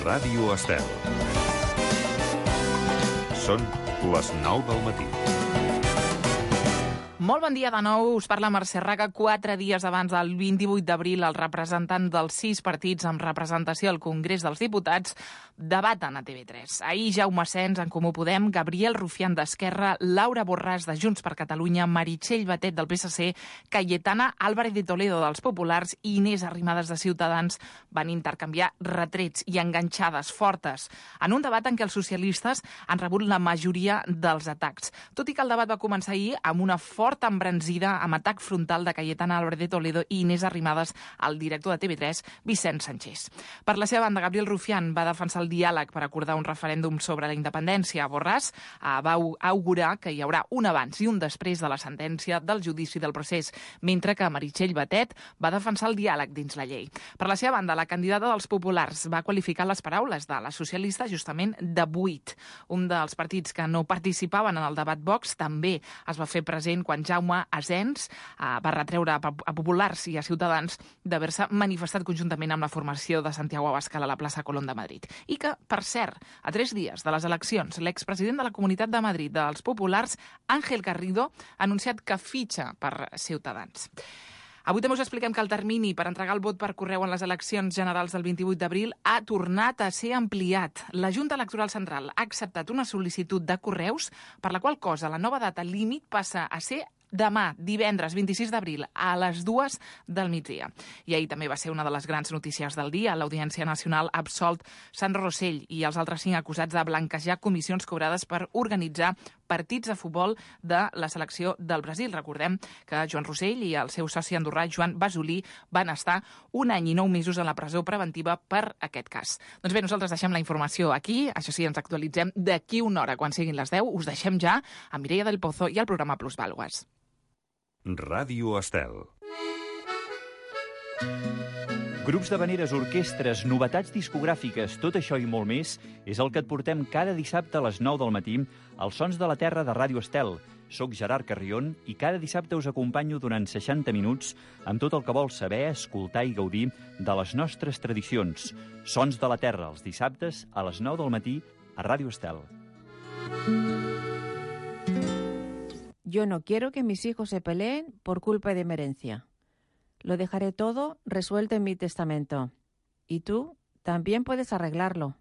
Ràdio Estel. Són les 9 del matí. Molt bon dia de nou, us parla Mercè Raga. 4 dies abans del 28 d'abril, els representants dels 6 partits amb representació al Congrés dels Diputats debaten a TV3. Ahir Jaume Asens, en Comú Podem, Gabriel Rufián d'Esquerra, Laura Borràs de Junts per Catalunya, Meritxell Batet del PSC, Cayetana Álvarez de Toledo dels Populars i Inés Arrimadas de Ciutadans van intercanviar retrets i enganxades fortes en un debat en què els socialistes han rebut la majoria dels atacs. Tot i que el debat va començar ahir amb una forta embranzida amb atac frontal de Cayetana Álvarez de Toledo i Inés Arrimadas al director de TV3, Vicent Sanchés. Per la seva banda, Gabriel Rufián va defensar el diàleg per acordar un referèndum sobre la independència. Borràs va augurar que hi haurà un abans i un després de la sentència del judici del procés, mentre que Meritxell Batet va defensar el diàleg dins la llei. Per la seva banda, la candidata dels Populars va qualificar les paraules de la socialista justament de buit. Un dels partits que no participaven en el debat Vox també es va fer present quan Jaume Asens va retreure a Populars i a Ciutadans d'haver-se manifestat conjuntament amb la formació de Santiago Abascal a la plaça Colón de Madrid. I que, per cert, a 3 dies de les eleccions, l'expresident de la Comunitat de Madrid dels Populars, Ángel Garrido, ha anunciat que fitxa per Ciutadans. Avui també us expliquem que el termini per entregar el vot per correu en les eleccions generals del 28 d'abril ha tornat a ser ampliat. La Junta Electoral Central ha acceptat una sol·licitud de correus per la qual cosa la nova data límit passa a ser demà, divendres 26 d'abril, a les 2 del migdia. I ahir també va ser una de les grans notícies del dia. L'Audiència Nacional ha absolt Sandro Rosell i els altres 5 acusats de blanquejar comissions cobrades per organitzar partits de futbol de la selecció del Brasil. Recordem que Joan Rosell i el seu soci andorrà, Joan Basolí, van estar 1 any i 9 mesos a la presó preventiva per aquest cas. Doncs bé, nosaltres deixem la informació aquí. Això sí, ens actualitzem d'aquí una hora. Quan siguin les 10, us deixem ja a Mireia del Pozo i al programa Plusvàlues. Ràdio Estel. Grups d'havaneres, orquestres, novetats discogràfiques, tot això i molt més és el que et portem cada dissabte a les 9 del matí als Sons de la Terra de Ràdio Estel. Soc Gerard Carrion i cada dissabte us acompanyo durant 60 minuts amb tot el que vols saber, escoltar i gaudir de les nostres tradicions. Sons de la Terra, els dissabtes a les 9 del matí a Ràdio Estel. Yo no quiero que mis hijos se peleen por culpa de mi herencia. Lo dejaré todo resuelto en mi testamento. Y tú también puedes arreglarlo.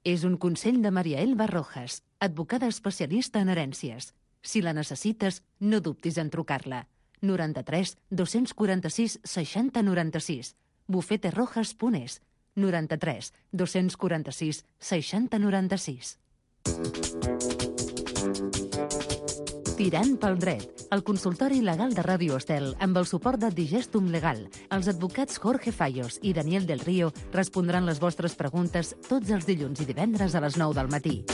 És un consell de Maria Elba Rojas, advocada especialista en herències. Si la necessites, no dubtis en trucar-la. 93 246 60 96. bufeterojas.es. 93 246 60 96. Tirant pel dret, el consultori legal de Ràdio Estel amb el suport de Digestum Legal. Els advocats Jorge Fallos i Daniel del Río respondran les vostres preguntes tots els dilluns i divendres a les 9 del matí.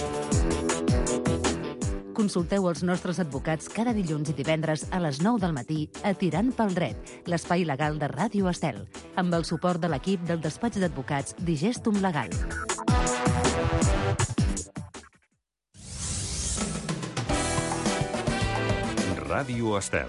Consulteu els nostres advocats cada dilluns i divendres a les 9 del matí a Tirant pel dret, l'espai legal de Ràdio Estel, amb el suport de l'equip del despatx d'advocats Digestum Legal. Ràdio Estel.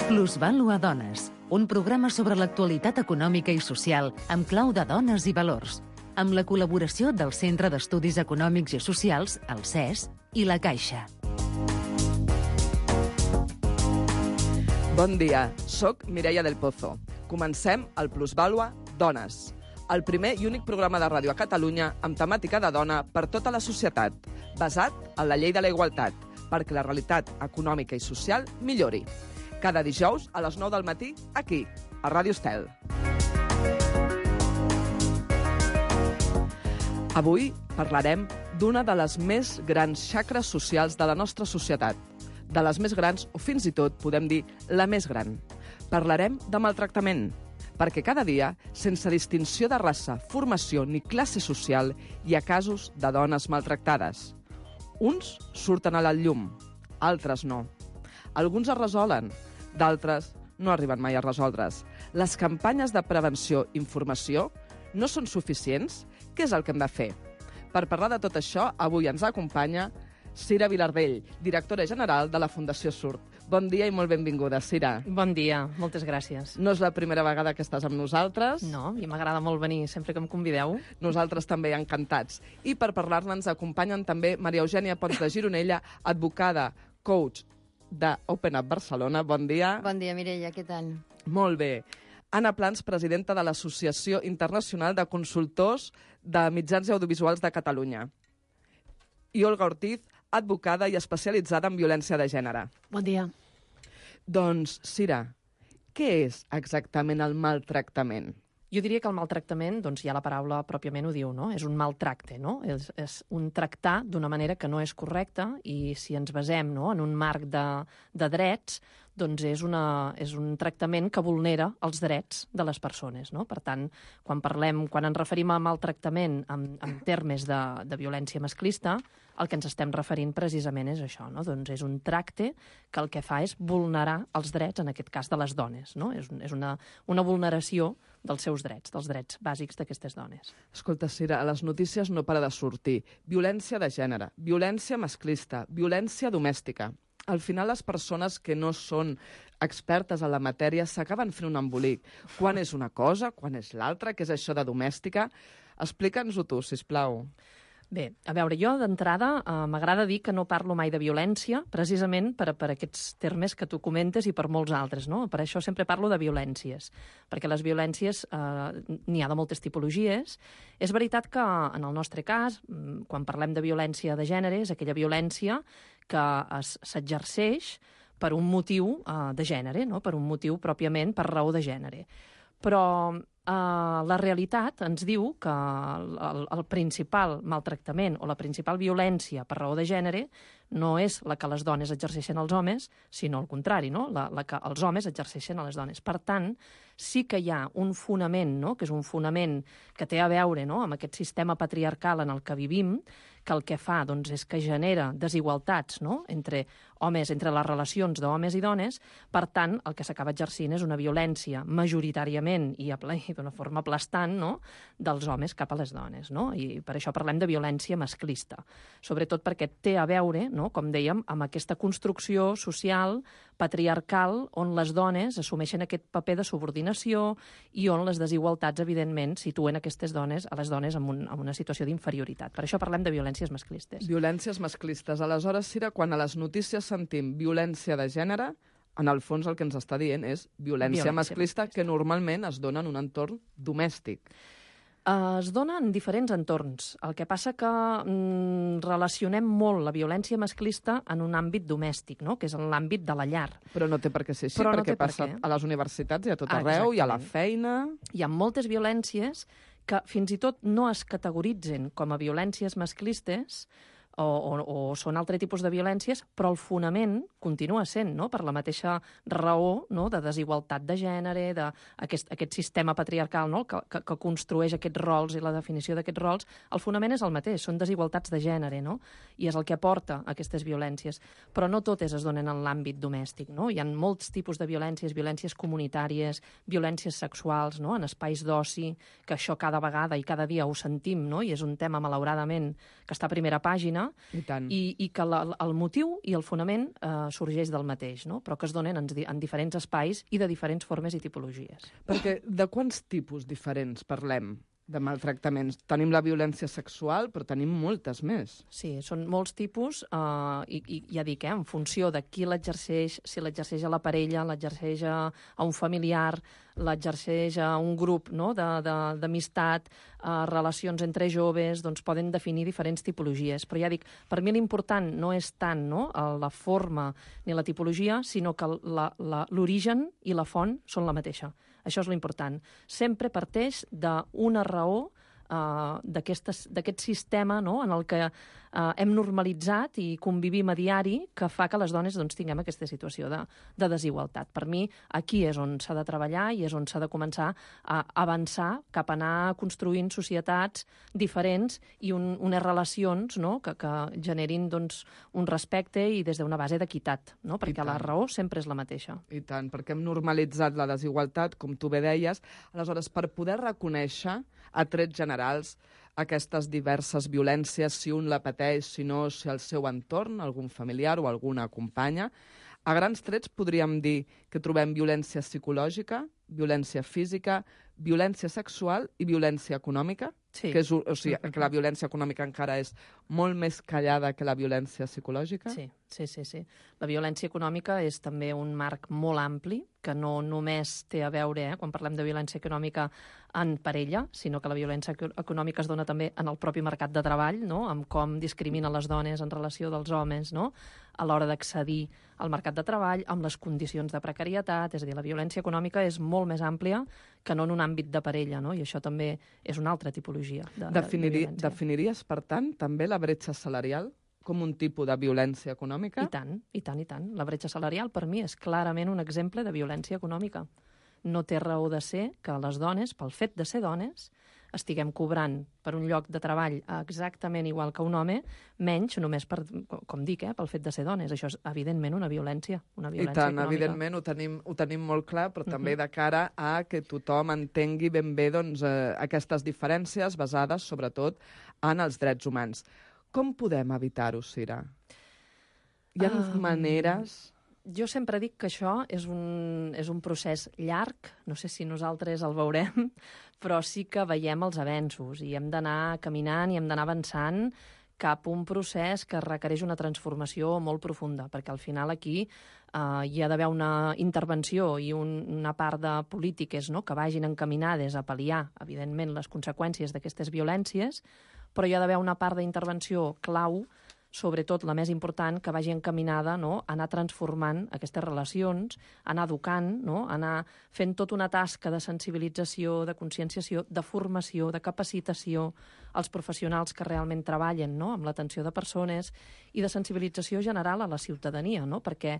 Plusvàlua Dones, un programa sobre l'actualitat econòmica i social amb clau de dones i valors, amb la col·laboració del Centre d'Estudis Econòmics i Socials, el CES, i la Caixa. Bon dia, soc Mireia del Pozo. Comencem el Plusvàlua Dones, el primer i únic programa de ràdio a Catalunya amb temàtica de dona per tota la societat, basat en la llei de la igualtat, perquè la realitat econòmica i social millori. Cada dijous a les 9 del matí, aquí, a Ràdio Estel. Avui parlarem d'una de les més grans xacres socials de la nostra societat, de les més grans o fins i tot podem dir la més gran. Parlarem de maltractament, perquè cada dia, sense distinció de raça, formació ni classe social, hi ha casos de dones maltractades. Uns surten a la llum, altres no. Alguns es resolen, d'altres no arriben mai a resoldre's. Les campanyes de prevenció i informació no són suficients? Què és el que hem de fer? Per parlar de tot això, avui ens acompanya Cira Vilardell, directora general de la Fundació Surt. Bon dia i molt benvinguda, Cira. Bon dia, moltes gràcies. No és la primera vegada que estàs amb nosaltres. No, i m'agrada molt venir sempre que em convideu. Nosaltres també encantats. I per parlar-ne ens acompanyen també Maria Eugènia Pons de Gironella, advocada, coach de Open Up Barcelona. Bon dia. Bon dia, Mireia, què tal? Molt bé. Anna Plans, presidenta de l'Associació Internacional de Consultors de Mitjans i Audiovisuals de Catalunya. I Olga Ortiz, advocada i especialitzada en violència de gènere. Bon dia. Doncs, Cira, què és exactament el maltractament? Jo diria que el maltractament, doncs ja la paraula pròpiament ho diu, no? És un maltracte, no? És un tractar d'una manera que no és correcta i si ens basem, no, en un marc de drets, doncs és un tractament que vulnera els drets de les persones, no? Per tant, quan ens referim a maltractament en termes de violència masclista, el que ens estem referint precisament és això, no? Doncs és un tracte que el que fa és vulnerar els drets, en aquest cas de les dones, no? És una vulneració dels seus drets, dels drets bàsics d'aquestes dones. Escolta, Cira, a les notícies no para de sortir. Violència de gènere, violència masclista, violència domèstica. Al final, les persones que no són expertes en la matèria s'acaben fent un embolic. Quan és una cosa, quan és l'altra, què és això de domèstica? Explica'ns-ho tu, sisplau. Bé, a veure, jo d'entrada m'agrada dir que no parlo mai de violència, precisament per aquests termes que tu comentes i per molts altres, no? Per això sempre parlo de violències, perquè les violències n'hi ha de moltes tipologies. És veritat que en el nostre cas, quan parlem de violència de gènere, és aquella violència que s'exerceix per un motiu de gènere, no? Per un motiu pròpiament per raó de gènere. Però la realitat ens diu que el principal maltractament o la principal violència per raó de gènere no és la que les dones exerceixen als homes, sinó al contrari, no? La que els homes exerceixen a les dones. Per tant, sí que hi ha un fonament, no? Que és un fonament que té a veure, no? Amb aquest sistema patriarcal en el que vivim, que el que fa doncs, és que genera desigualtats, no? entre les relacions d'homes i dones. Per tant, el que s'acaba exercint és una violència majoritàriament i d'una forma aplastant, no? dels homes cap a les dones. No? I per això parlem de violència masclista. Sobretot perquè té a veure, no? Com dèiem, amb aquesta construcció social patriarcal on les dones assumeixen aquest paper de subordinació i on les desigualtats, evidentment, situen a les dones en una situació d'inferioritat. Per això parlem de violències masclistes. Violències masclistes. Aleshores, Cira, quan a les notícies sentim violència de gènere, en el fons el que ens està dient és violència masclista que normalment es dona en un entorn domèstic. Es dona en diferents entorns. El que passa que relacionem molt la violència masclista en un àmbit domèstic, no? Que és en l'àmbit de la llar. Però no té per què ser així, perquè passa a les universitats i a tot arreu, i a la feina. Hi ha moltes violències que fins i tot no es categoritzen com a violències masclistes o són altre tipus de violències, però el fonament continua sent, no? Per la mateixa raó, no? De desigualtat de gènere, d'aquest sistema patriarcal, no? que construeix aquests rols i la definició d'aquests rols, el fonament és el mateix, són desigualtats de gènere, no? I és el que porta a aquestes violències. Però no totes es donen en l'àmbit domèstic, no? Hi ha molts tipus de violències comunitàries, violències sexuals, no? En espais d'oci, que això cada vegada i cada dia ho sentim, no? I és un tema, malauradament, que està a primera pàgina, i que el motiu i el fonament sorgeix del mateix, no? Però que es donen en diferents espais i de diferents formes i tipologies. Perquè de quants tipus diferents parlem de maltractaments? Tenim la violència sexual, però tenim moltes més. Sí, són molts tipus, i ja dic, en funció de qui l'exerceix, si l'exerceix a la parella, l'exerceix a un familiar, l'exerceix a un grup, no? d'amistat, relacions entre joves, doncs poden definir diferents tipologies. Però ja dic, per mi l'important no és tant, no? La forma ni la tipologia, sinó que l'origen i la font són la mateixa. Això és l'important. Sempre parteix d'una raó d'aquest sistema, no? En el que hem normalitzat i convivim a diari, que fa que les dones doncs, tinguem aquesta situació de desigualtat. Per mi, aquí és on s'ha de treballar i és on s'ha de començar a avançar cap a anar construint societats diferents i unes relacions, no? que generin doncs, un respecte i des d'una base d'equitat, no? Perquè la raó sempre és la mateixa. I tant, perquè hem normalitzat la desigualtat, com tu bé deies. Aleshores, per poder reconèixer a trets generals generals aquestes diverses violències, si un la pateix, si no, si el seu entorn, algun familiar o alguna companya. A grans trets podríem dir que trobem violència psicològica, violència física, violència sexual i violència econòmica, Sí. que que la violència econòmica encara és molt més callada que la violència psicològica. Sí. La violència econòmica és també un marc molt ampli, que no només té a veure, quan parlem de violència econòmica, en parella, sinó que la violència econòmica es dona també en el propi mercat de treball, no? Amb com discriminen les dones en relació dels homes, no? A l'hora d'accedir al mercat de treball, amb les condicions de precarietat, és a dir, la violència econòmica és molt més àmplia que no en un àmbit de parella, no? I això també és una altra tipologia de violència. Definiries, per tant, també la bretxa salarial com un tipus de violència econòmica? I tant. La bretxa salarial, per mi, és clarament un exemple de violència econòmica. No té raó de ser que les dones, pel fet de ser dones, estiguem cobrant per un lloc de treball exactament igual que un home, menys només per, com dic, pel fet de ser dones. Això és, evidentment, una violència I tant, econòmica. evidentment, ho tenim molt clar, però també de cara a que tothom entengui ben bé doncs, aquestes diferències basades, sobretot, en els drets humans. Com podem evitar-ho, Cira? Hi ha maneres... Jo sempre dic que això és un procés llarg, no sé si nosaltres el veurem, però sí que veiem els avenços i hem d'anar caminant i hem d'anar avançant cap a un procés que requereix una transformació molt profunda, perquè al final aquí hi ha d'haver una intervenció i una part de polítiques, no?, que vagin encaminades a pal·liar, evidentment, les conseqüències d'aquestes violències, però hi ha d'haver una part d'intervenció clau, sobretot la més important, que vagi encaminada, no?, a anar transformant aquestes relacions, a anar educant, no?, a anar fent tota una tasca de sensibilització, de conscienciació, de formació, de capacitació als professionals que realment treballen, no?, amb l'atenció de persones, i de sensibilització general a la ciutadania, no?, perquè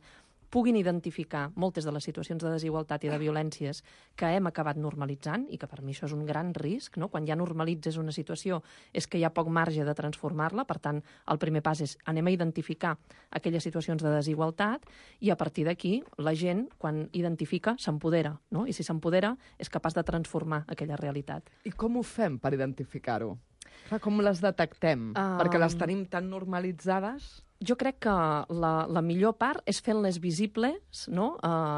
puguin identificar moltes de les situacions de desigualtat i de violències que hem acabat normalitzant, i que per mi això és un gran risc, no? Quan ja normalitzes una situació és que hi ha poc marge de transformar-la, per tant, el primer pas és anem a identificar aquelles situacions de desigualtat i a partir d'aquí la gent, quan identifica, s'empodera, no? I si s'empodera és capaç de transformar aquella realitat. I com ho fem per identificar-ho? Com les detectem? Perquè les tenim tan normalitzades... Jo crec que la millor part és fent-les visibles, no?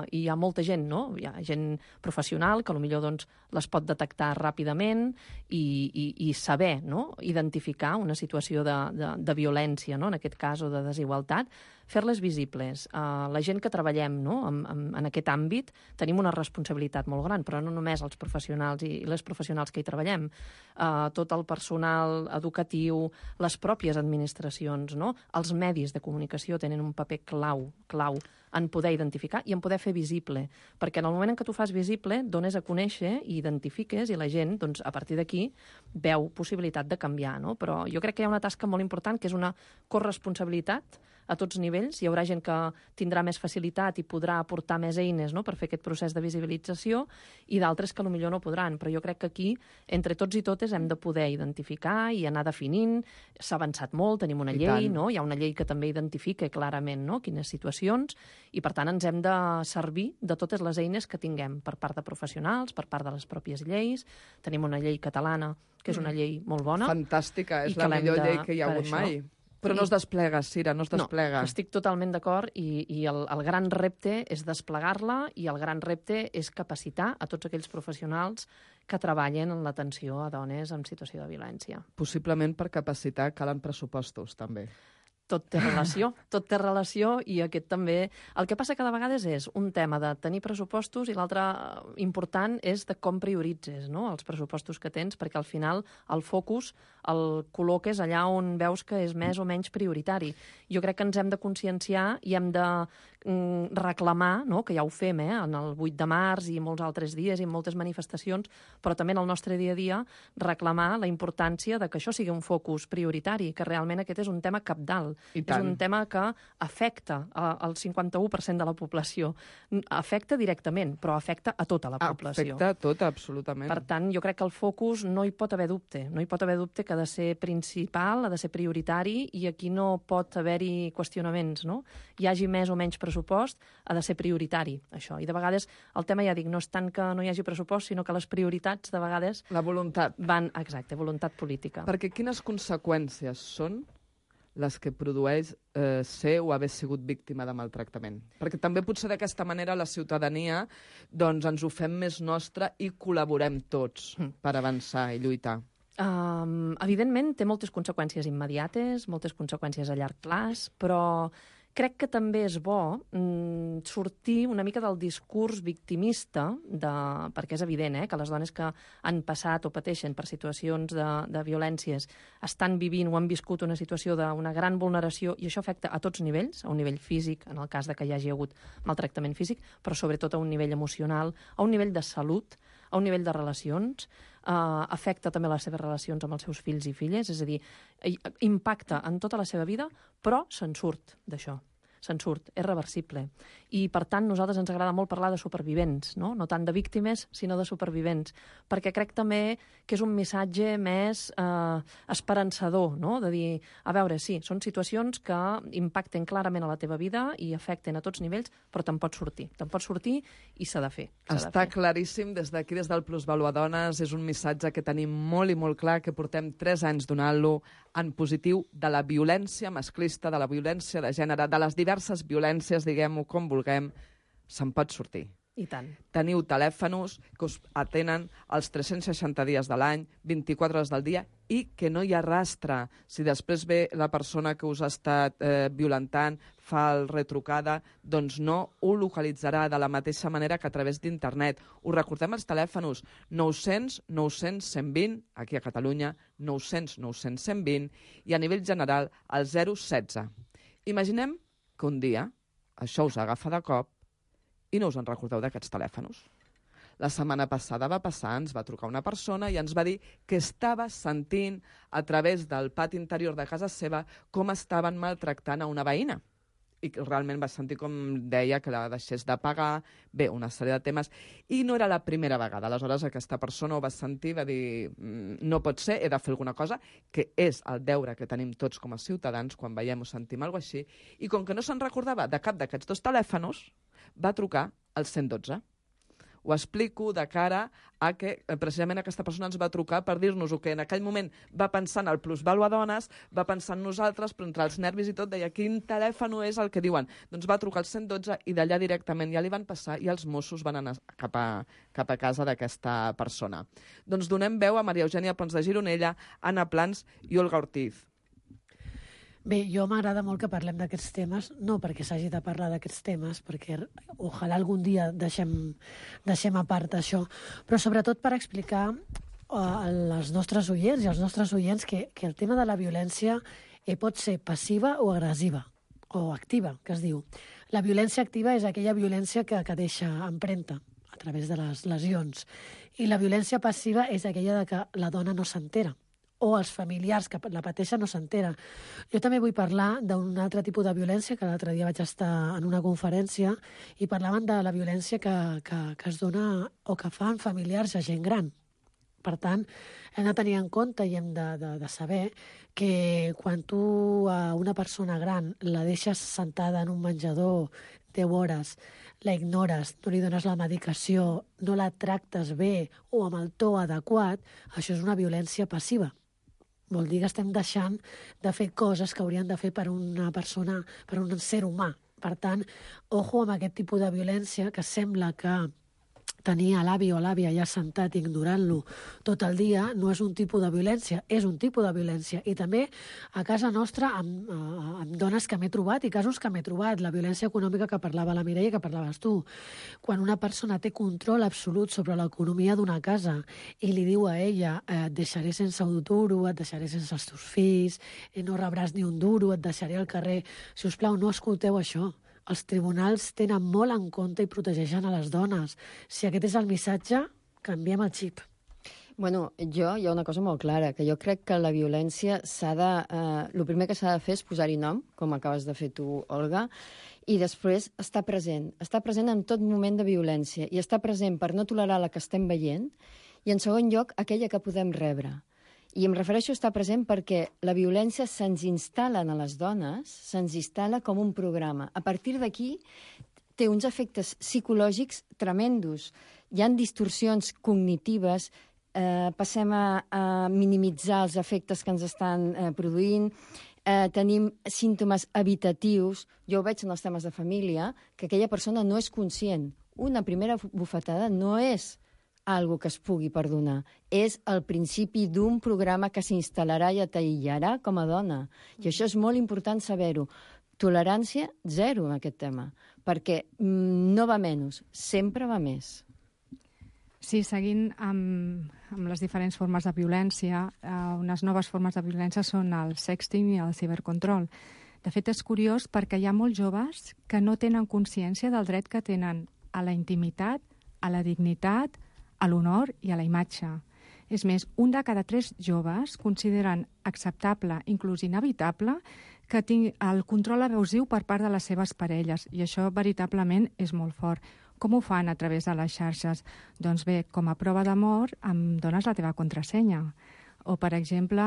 I hi ha molta gent, no? Hi ha gent professional que potser doncs, les pot detectar ràpidament i saber, no?, identificar una situació de violència, no?, en aquest cas, o de desigualtat, fer-les visibles. La gent que treballem, no?, en aquest àmbit tenim una responsabilitat molt gran, però no només els professionals i les professionals que hi treballem, tot el personal educatiu, les pròpies administracions, no?, els medis de comunicació tenen un paper clau en poder identificar i en poder fer visible, perquè en el moment en què tu fas visible, dones a conèixer i identifiques, i la gent, doncs, a partir d'aquí, veu possibilitat de canviar, no? Però jo crec que hi ha una tasca molt important, que és una corresponsabilitat a tots nivells. Hi haurà gent que tindrà més facilitat i podrà aportar més eines, no?, per fer aquest procés de visibilització, i d'altres que potser no podran. Però jo crec que aquí, entre tots i totes, hem de poder identificar i anar definint. S'ha avançat molt, tenim una llei, no? Hi ha una llei que també identifica clarament, no?, quines situacions, i per tant ens hem de servir de totes les eines que tinguem per part de professionals, per part de les pròpies lleis. Tenim una llei catalana, que és una llei molt bona. Fantàstica, és la millor llei que hi ha hagut mai. Però no es desplega, Cira, no es desplega. No, estic totalment d'acord, i el gran repte és desplegar-la, i el gran repte és capacitar a tots aquells professionals que treballen en l'atenció a dones en situació de violència. Possiblement per capacitar calen pressupostos, també. Tot té relació, i aquest també... El que passa que de vegades és un tema de tenir pressupostos, i l'altre important és de com prioritzes, no?, els pressupostos que tens, perquè al final el focus el col·loques allà on veus que és més o menys prioritari. Jo crec que ens hem de conscienciar i hem de reclamar, no?, que ja ho fem, en el 8 de març i molts altres dies i en moltes manifestacions, però també en el nostre dia a dia, reclamar la importància de que això sigui un focus prioritari, que realment aquest és un tema cabdal. És un tema que afecta al 51% de la població. Afecta directament, però afecta a tota la població. Afecta a tota, absolutament. Per tant, jo crec que el focus no hi pot haver dubte. No hi pot haver dubte que ha de ser principal, ha de ser prioritari, i aquí no pot haver-hi qüestionaments, no? Hi hagi més o menys pressupost pressupost, ha de ser prioritari, això. I de vegades el tema, ja dic, no és tant que no hi hagi pressupost, sinó que les prioritats, de vegades... La voluntat. Van, exacte, voluntat política. Perquè quines conseqüències són les que produeix ser o haver sigut víctima de maltractament? Perquè també potser d'aquesta manera la ciutadania doncs, ens ho fem més nostre i col·laborem tots per avançar i lluitar. Evidentment, té moltes conseqüències immediates, moltes conseqüències a llarg plaç, però crec que també és bo sortir una mica del discurs victimista, perquè és evident que les dones que han passat o pateixen per situacions de violències estan vivint o han viscut una situació d'una gran vulneració, i això afecta a tots nivells, a un nivell físic, en el cas de que hi hagi hagut maltractament físic, però sobretot a un nivell emocional, a un nivell de salut, a un nivell de relacions, afecta també les seves relacions amb els seus fills i filles, és a dir, impacta en tota la seva vida, però se'n surt d'això. Se'n surt, és reversible. I, per tant, nosaltres ens agrada molt parlar de supervivents, no tant de víctimes, sinó de supervivents, perquè crec també que és un missatge més esperançador, no? De dir, a veure, sí, són situacions que impacten clarament a la teva vida i afecten a tots nivells, però te'n pots sortir i s'ha de fer. Està claríssim, des d'aquí, des del Plusvalua Dones, és un missatge que tenim molt i molt clar, que portem 3 anys donant-lo en positiu, de la violència masclista, de la violència de gènere, de les diverses violències, diguem-ho com vulguem, se'n pot sortir. I tant. Teniu telèfons que us atenen els 360 dies de l'any, 24 hores del dia, i que no hi ha rastre. Si després ve la persona que us ha estat violentant, fa el retrucada, doncs no ho localitzarà de la mateixa manera que a través d'internet. Us recordem els telèfons 900 900 120, aquí a Catalunya, 900 900 120, i a nivell general el 016. Imaginem que un dia això us agafa de cop i no us en recordeu d'aquests telèfons. La setmana passada va passar, ens va trucar una persona i ens va dir que estava sentint a través del pati interior de casa seva com estaven maltractant a una veïna. I realment va sentir com deia que la deixés de pagar, bé, una sèrie de temes, i no era la primera vegada. Aleshores aquesta persona ho va sentir, va dir, no pot ser, he de fer alguna cosa, que és el deure que tenim tots com a ciutadans quan veiem o sentim alguna cosa així, i com que no se'n recordava de cap d'aquests 2 telèfons, va trucar al 112. Ho explico de cara a que precisament aquesta persona ens va trucar per dir-nos-ho, que en aquell moment va pensar en el Plusvalua Dones, va pensar en nosaltres, però entre els nervis i tot deia quin telèfon és el que diuen. Doncs va trucar al 112 i d'allà directament ja li van passar i els Mossos van anar cap a casa d'aquesta persona. Doncs donem veu a Maria Eugènia Pons de Gironella, Anna Plans i Olga Ortiz. Bé, jo m'agrada molt que parlem d'aquests temes, no perquè s'hagi de parlar d'aquests temes, perquè ojalà algun dia deixem a part això, però sobretot per explicar als nostres oients i als nostres oients que el tema de la violència pot ser passiva o agressiva, o activa, que es diu. La violència activa és aquella violència que deixa empremta a través de les lesions, i la violència passiva és aquella de que la dona no s'entera, o els familiars que la pateixen no s'entera. Jo també vull parlar d'un altre tipus de violència, que l'altre dia vaig estar en una conferència i parlaven de la violència que es dona o que fan familiars a gent gran. Per tant, hem de tenir en compte i hem de saber que quan tu a una persona gran la deixes sentada en un menjador 10 hores, la ignores, no li dones la medicació, no la tractes bé o amb el to adequat, això és una violència passiva. Vol dir que estem deixant de fer coses que haurien de fer per una persona, per un ser humà. Per tant, ojo amb aquest tipus de violència que sembla que tenir l'avi o l'àvia allà sentat ignorant-lo tot el dia no és un tipus de violència, és un tipus de violència. I també a casa nostra amb dones que m'he trobat i casos que m'he trobat, la violència econòmica que parlava la Mireia, que parlaves tu. Quan una persona té control absolut sobre l'economia d'una casa i li diu a ella et deixaré sense un duro, et deixaré sense els teus fills, no rebràs ni un duro, et deixaré al carrer. Si us plau, no escolteu això. Els tribunals tenen molt en compte i protegeixen a les dones. Si aquest és el missatge, canviem el xip. Bueno, hi ha una cosa molt clara, que jo crec que la violència el primer que s'ha de fer és posar-hi nom, com acabes de fer tu, Olga, i després estar present en tot moment de violència, i estar present per no tolerar la que estem veient, i en segon lloc, aquella que podem rebre. I em refereixo a estar present perquè la violència se'ns instal·la a les dones, se'ns instal·la com un programa. A partir d'aquí té uns efectes psicològics tremendos. Hi ha distorsions cognitives, passem a minimitzar els efectes que ens estan produint, tenim símptomes evitatius. Jo ho veig en els temes de família, que aquella persona no és conscient. Una primera bufetada no és algo que es pugui perdonar. És el principi d'un programa que s'instal·larà i t'aïllarà com a dona. I això és molt important saber-ho. Tolerància zero en aquest tema, perquè no va menys, sempre va més. Sí, seguint amb les diferents formes de violència, unes noves formes de violència són el sexting i el cibercontrol. De fet, és curiós perquè hi ha molts joves que no tenen consciència del dret que tenen a la intimitat, a la dignitat, a l'honor i a la imatge. És més, 1 de cada 3 joves consideren acceptable, inclús inevitable, que tingui el control abusiu per part de les seves parelles, i això veritablement és molt fort. Com ho fan a través de les xarxes? Doncs bé, com a prova d'amor, em dones la teva contrasenya. O, per exemple,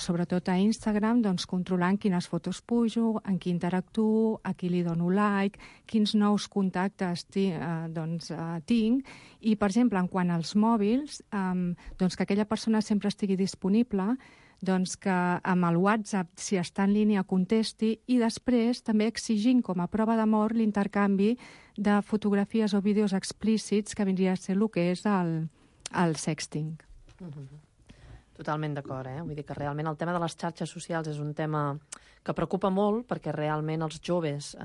sobretot a Instagram, doncs, controlant quines fotos pujo, en qui interactuo, a qui li dono like, quins nous contactes tinc. I, per exemple, en quant als mòbils, doncs, que aquella persona sempre estigui disponible, doncs que amb el WhatsApp, si està en línia, contesti, i després també exigint com a prova d'amor l'intercanvi de fotografies o vídeos explícits que vindria a ser el que és el sexting. Totalment d'acord, Vull dir que realment el tema de les xarxes socials és un tema que preocupa molt perquè realment els joves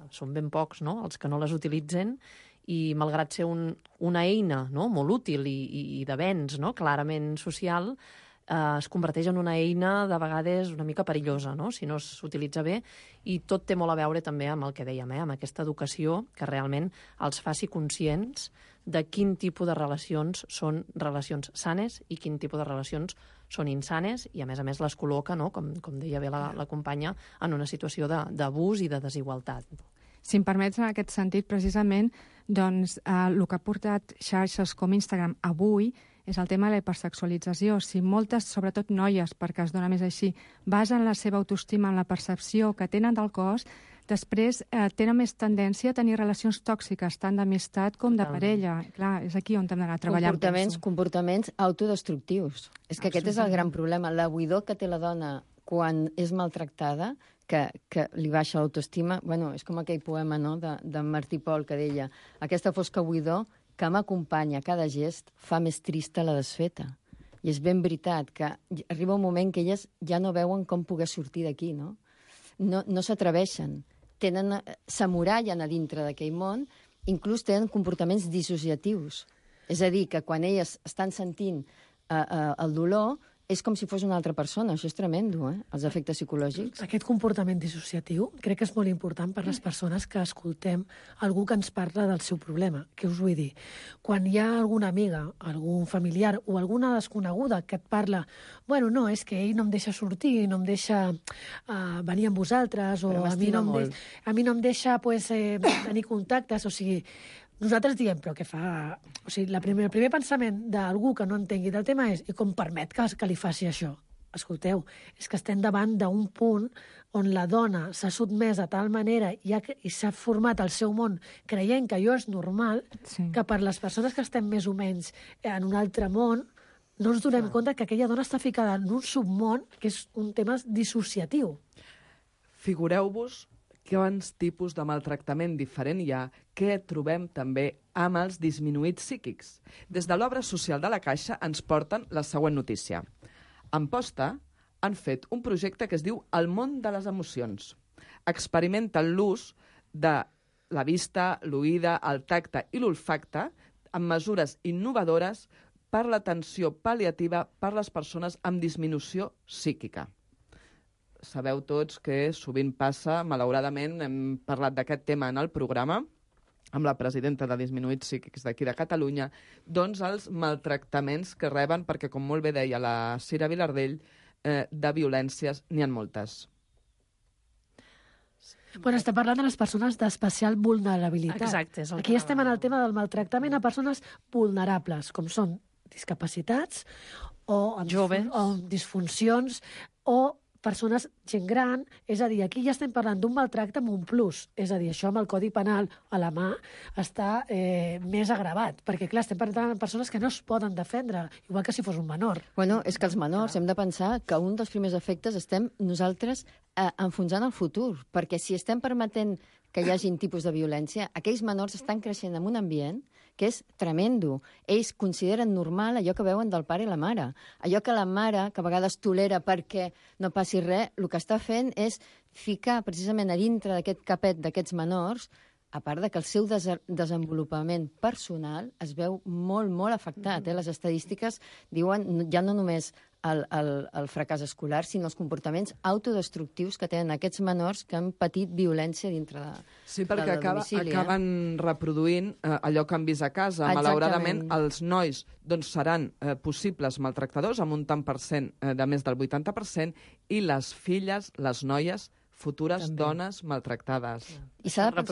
són ben pocs, no?, els que no les utilitzen, i malgrat ser una eina, no?, molt útil i d'avenç, no?, clarament social, es converteix en una eina de vegades una mica perillosa, no?, si no s'utilitza bé, i tot té molt a veure també amb el que dèiem, amb aquesta educació que realment els faci conscients de quin tipus de relacions són relacions sanes i quin tipus de relacions són insanes, i a més les col·loca, no?, com deia bé la companya, en una situació d'abús i de desigualtat. Si em permets, en aquest sentit, precisament, doncs, el que ha portat xarxes com Instagram avui és el tema de la hipersexualització. Si moltes, sobretot noies, perquè es dona més així, basen la seva autoestima en la percepció que tenen del cos, després tenen més tendència a tenir relacions tòxiques, tant d'amistat com de parella. Clar, és aquí on hem d'anar a treballar. Comportaments autodestructius. És que aquest és el gran problema. La buidor que té la dona quan és maltractada, que li baixa l'autoestima, bueno, és com aquell poema, no?, de Martí Pol, que deia: aquesta fosca buidor que m'acompanya a cada gest fa més trista la desfeta. I és ben veritat que arriba un moment que elles ja no veuen com poder sortir d'aquí, no? No s'atreveixen. S'amorallen a dintre d'aquell món, inclús tenen comportaments dissociatius. És a dir, que quan elles estan sentint el dolor, és com si fos una altra persona. Això és tremendo, els efectes psicològics. Aquest comportament dissociatiu crec que és molt important per les persones que escoltem algú que ens parla del seu problema. Què us vull dir? Quan hi ha alguna amiga, algun familiar o alguna desconeguda que et parla, bueno, no, és que ell no em deixa sortir, no em deixa venir amb vosaltres, o a mi no em deixa tenir contactes, o sigui, nosaltres diem, però què fa? O sigui, el primer pensament d'algú que no entengui del tema és: i com permet que li faci això? Escolteu, és que estem davant d'un punt on la dona s'ha sotmès de tal manera i s'ha format el seu món creient que allò és normal, que per les persones que estem més o menys en un altre món no ens donem compte que aquella dona està ficada en un submón que és un tema dissociatiu. Figureu-vos quants tipus de maltractament diferent hi ha que trobem també amb els disminuïts psíquics. Des de l'obra social de la Caixa ens porten la següent notícia. Amposta han fet un projecte que es diu El món de les emocions. Experimenten l'ús de la vista, l'oïda, el tacte i l'olfacte amb mesures innovadores per l'atenció pal·liativa per les persones amb disminució psíquica. Sabeu tots que sovint passa, malauradament, hem parlat d'aquest tema en el programa, amb la presidenta de Disminuïts Psíquics d'aquí de Catalunya, doncs els maltractaments que reben, perquè com molt bé deia la Cira Vilardell, de violències n'hi ha moltes. Bueno, estem parlant de les persones d'especial vulnerabilitat. Exacte. Aquí estem en el tema del maltractament a persones vulnerables, com són discapacitats o amb, Joves. o amb disfuncions o persones, gent gran, és a dir, aquí ja estem parlant d'un maltracte amb un plus, és a dir, això amb el Codi Penal a la mà està més agravat, perquè clar, estem parlant de persones que no es poden defendre, igual que si fos un menor. Bueno, és que els menors hem de pensar que un dels primers efectes estem nosaltres enfonsant el futur, perquè si estem permetent que hi hagin tipus de violència, aquells menors estan creixent en un ambient que és tremendo. Ells consideren normal allò que veuen del pare i la mare. Allò que la mare, que a vegades tolera perquè no passi res, el que està fent és ficar precisament a dintre d'aquest capet d'aquests menors, a part de que el seu desenvolupament personal es veu molt, molt afectat. Les estadístiques diuen ja no només el fracàs escolar, sinó els comportaments autodestructius que tenen aquests menors que han patit violència dintre del domicili. Sí, perquè acaben reproduint allò que han vist a casa. Exactament. Malauradament, els nois seran possibles maltractadors, amb un tant per cent de més del 80%, i les filles, les noies, futures dones maltractades. I s'ha de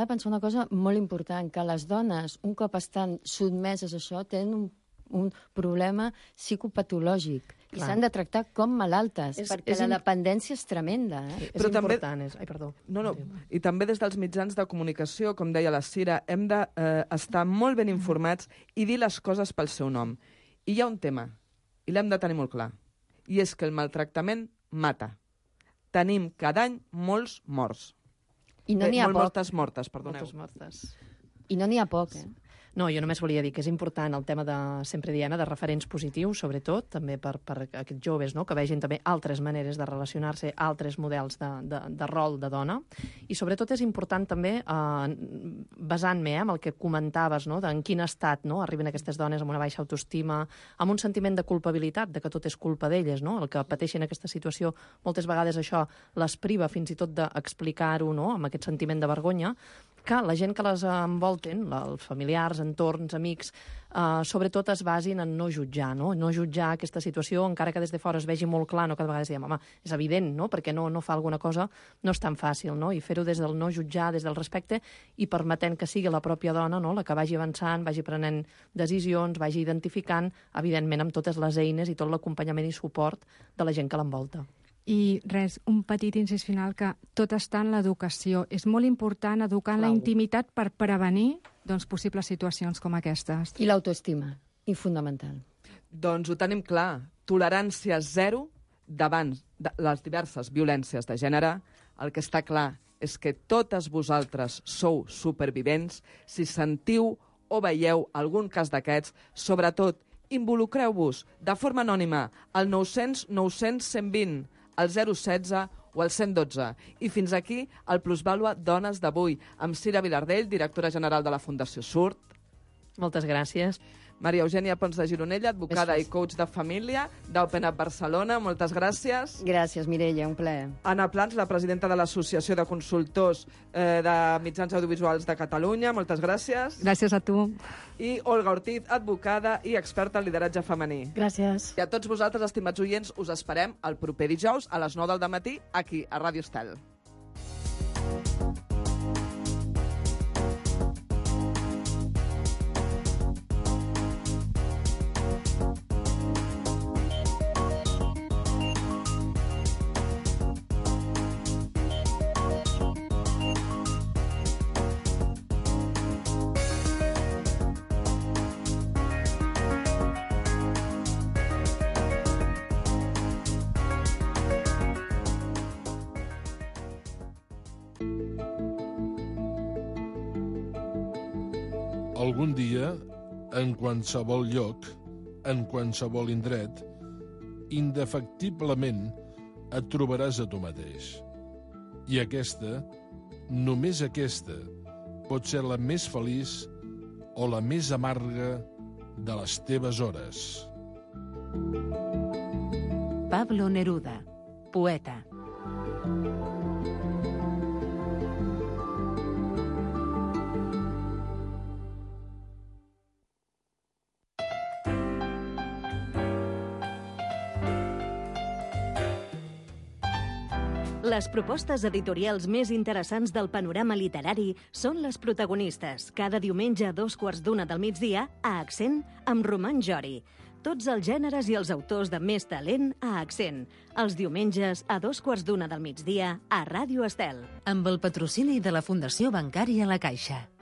pensar una cosa molt important, que les dones, un cop estan sotmeses a això, tenen un problema psicopatològic i s'han de tractar com malaltes, perquè la dependència és tremenda. Però també... I també des dels mitjans de comunicació, com deia la Cira, hem d'estar molt ben informats i dir les coses pel seu nom. I hi ha un tema, i l'hem de tenir molt clar, i és que el maltractament mata. Tenim cada any molts morts. I no n'hi ha poc. Moltes mortes, perdoneu. Moltes mortes. I no n'hi ha poc, No, jo només volia dir que és important el tema de, sempre diem, de referents positius, sobretot, també per aquests joves, no?, que vegin també altres maneres de relacionar-se, altres models de rol de dona. I sobretot és important també, basant-me en el que comentaves, no?, en quin estat arriben aquestes dones amb una baixa autoestima, amb un sentiment de culpabilitat, de que tot és culpa d'elles, no?, el que pateixen aquesta situació, moltes vegades això les priva fins i tot d'explicar-ho, no?, amb aquest sentiment de vergonya, que la gent que les envolten, els familiars, entorns, amics, sobretot es basin en no jutjar, no jutjar aquesta situació, encara que des de fora es vegi molt clar, no? Cada vegada diem, home, és evident, no?, perquè no fa alguna cosa, no és tan fàcil, no?, i fer-ho des del no jutjar, des del respecte, i permetent que sigui la pròpia dona, no?, la que vagi avançant, vagi prenent decisions, vagi identificant, evidentment amb totes les eines i tot l'acompanyament i suport de la gent que l'envolta. I res, un petit incís final, que tot està en l'educació. És molt important educar en la intimitat per prevenir possibles situacions com aquestes. I l'autoestima, i fundamental. Doncs ho tenim clar. Tolerància zero davant de les diverses violències de gènere. El que està clar és que totes vosaltres sou supervivents. Si sentiu o veieu algun cas d'aquests, sobretot involucreu-vos de forma anònima al 900 900 120, al 016 o al 112. I fins aquí el Plusvàlua Dones d'avui, amb Cira Vilardell, directora general de la Fundació Surt. Moltes gràcies. Maria Eugènia Pons de Gironella, advocada i coach de família d'Open Up Barcelona. Moltes gràcies. Gràcies, Mireia, un plaer. Anna Plans, la presidenta de l'Associació de Consultors de Mitjans Audiovisuals de Catalunya. Moltes gràcies. Gràcies a tu. I Olga Ortiz, advocada i experta en lideratge femení. Gràcies. I a tots vosaltres, estimats oients, us esperem el proper dijous a les 9 del matí aquí, a Ràdio Estel. Algun dia, en qualsevol lloc, en qualsevol indret, indefectiblement et trobaràs a tu mateix. I aquesta, només aquesta, pot ser la més feliç o la més amarga de les teves hores. Pablo Neruda, poeta. Les propostes editorials més interessants del panorama literari són les protagonistes, cada diumenge a 12:15 a Accent amb Roman Jori. Tots els gèneres i els autors de més talent a Accent. Els diumenges a 12:15 a Ràdio Estel. Amb el patrocini de la Fundació Bancària La Caixa.